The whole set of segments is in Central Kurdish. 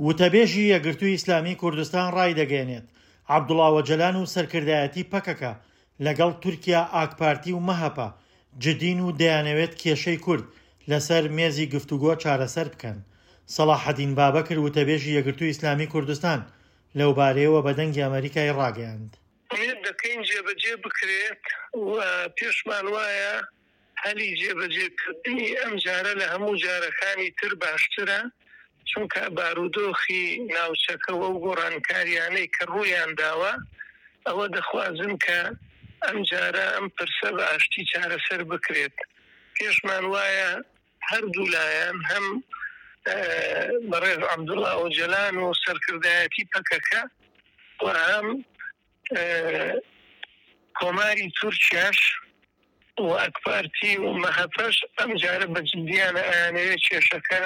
وتەبێژی یەکگرتووی ئیسلامی کوردستان ڕایدەگەیەنێت، عەبدوڵا ئۆجەلان و سەرکردایەتی پەکەکە لەگەڵ تورکیا، ئاکپارتی و مەهەپە جدین و دەیانەوێت کێشەی کورد لەسەر مێزی گفتوگۆ چارەسەر بکەن. سەڵاحەدین بابەکر وتەبێژی یەکگرتووی ئیسلامی کوردستان لەوبارەیەوە بە دەنگی ئەمەریکای ڕاگەیاند. ئومێد دەکەین جێبەجێ بکرێت و پێشمان وایە هەلی جێبەجێکردنی ئەم جارە لە هەموو جارەکانی تر باشترە، چونکە بارودۆخی ناوچەکە و ئەو گۆڕانکارییانەی کە ڕوویان داوە ئەوە دەخوازن کە ئەم جارە ئەم پرسە بە ئاشتی چارەسەر بکرێت. پێشمان وایە هەردوو لایەن هەم بەڕێز عەبدوڵا ئۆجەلان و سەرکردایەتی پەکەکە و هەم کۆماری تورکیاش و ئەکپارتی و مەهەپەش ئەم جارە بە جدیانە ئەیانەوێت کێشەکە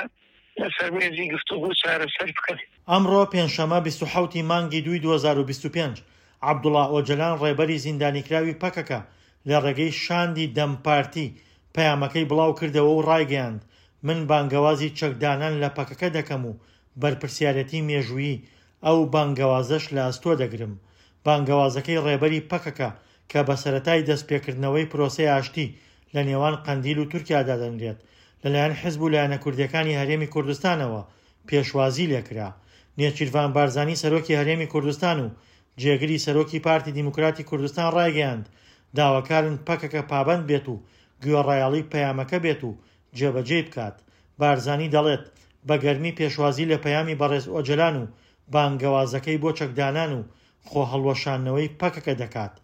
لەسەر مێزی گفتوگۆ چارەسەر بکەن. ئەمڕۆ پێنجشەممە 27 ی مانگی دووی 2025، عەبدوڵا ئۆجەلان ڕێبەری زیندانیکراوی پەکەکە لە ڕێگەی شاندی دەم پارتی پەیامەکەی بڵاوکردەوە و ڕایگەیاند، من بانگەوازی چەکدانان لە پەکەکە دەکەم و بەرپرسیارێتی مێژوویی ئەو بانگەوازەش لە ئەستۆ دەگرم. بانگەوازەکەی ڕێبەری پەکەکە کە بە سەرەتای دەستپێکردنەوەی پرۆسەی ئاشتی لە نێوان قەندیل و تورکیا دادەنرێت، لەلایەن حزب و لایەنە کوردییەکانی هەرێمی کوردستانەوە پێشوازی لێکرا. نێچیرڤان بارزانی سەرۆکی هەرێمی کوردستان و جێگری سەرۆکی پارتی دیموکراتی کوردستان ڕایگەیاند، داواکارن پەکەکە پابەند بێت و گوێڕایەڵی پەیامەکە بێت و جێبەجێی بکات. بارزانی دەڵێت، بە گەرمی پێشوازی لە پەیامی بەڕێز ئۆجەلان و بانگەوازەکەی بۆ چەکدانان و خۆهەڵوەشاندنەوەی پەکەکە دەکات.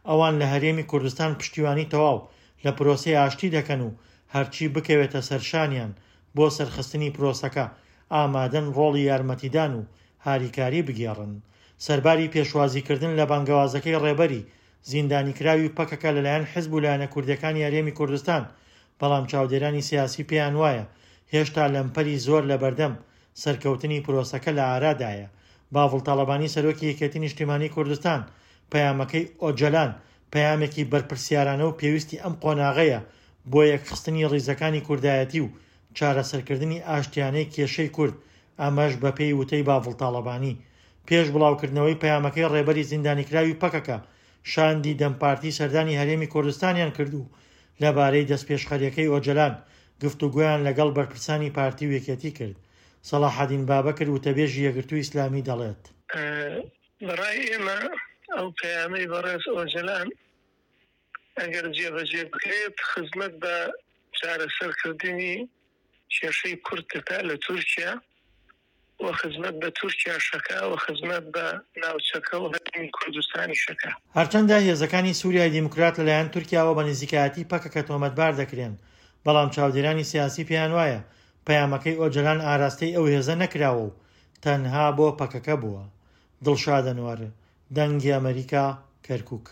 ئەوان لە هەرێمی کوردستان پشتیوانی تەواو لە پرۆسەی ئاشتی دەکەن و هەرچی بکەوێتە سەرشانیان بۆ سەرخستنی پرۆسەکە، ئامادەن ڕۆڵی یارمەتیدان و هاریکاری بگێڕن. سەرباری پێشوازیکردن لە بانگەوازەکەی ڕێبەری زیندانیکراوی پەکەکە لەلایەن حزب و لایەنە کوردیەکانی هەرێمی کوردستان، بەڵام چاودێرانی سیاسی پێیان وایە هێشتا لەمپەری زۆر لەبەردەم سەرکەوتنی پرۆسەکە لە ئارادایە. باڤڵ تاڵەبانی سەرۆکی یەکێتی نیشتیمانی کوردستان پەیامەکەی ئۆجەلان پەیامێکی بەرپرسیارانە و پێویستی ئەم قۆناغەیە بۆ یەکخستنی ڕیزەکانی کوردایەتی و چارەسەرکردنی ئاشتیانەی کێشەی کورد، ئەمەش بەپێی وتەی باڤڵ تاڵەبانی. پێش بڵاوکردنەوەی پەیامەکەی ڕێبەری زیندانیکراوی پەکەکە، شاندی دەم پارتی سەردانی هەرێمی کوردستانیان کرد و لەبارەی دەستپێشخەرییەکەی ئۆجەلان گفتوگۆیان لەگەڵ بەرپرسانی پارتی و یەکێتی کرد. سەڵاحەدین بابەکر وتەبێژی یەکگرتووی ئیسلامی دەڵێت. بەڕای ئێمە ئەو پەیامەی بەڕێز ئۆجەلان ئەگەر جێبەجێ بکرێت خزمەت بە چارەسەرکردنی کێشەی کورد دەکات لە تورکیا و خزمەت بە تورکیاش ئەکا و خزمەت بە ناوچەکە و هەرێمی کوردستانیش ئەکا. هەرچەندە هێزەکانی سوریای دیموکرات لەلایەن تورکیاوە بە نزیکایەتی پەکەکە تۆمەتبار دەکرێن، بەڵام چاودێرانی سیاسی پێیانوایە پەیامەکەی ئۆجەلان ئاراستەی ئەو هێزە نەکراوە و تەنها بۆ پەکەکە بووە. دڵشاد ئەنوەر، دەنگی ئەمەریکا، کەرکوک.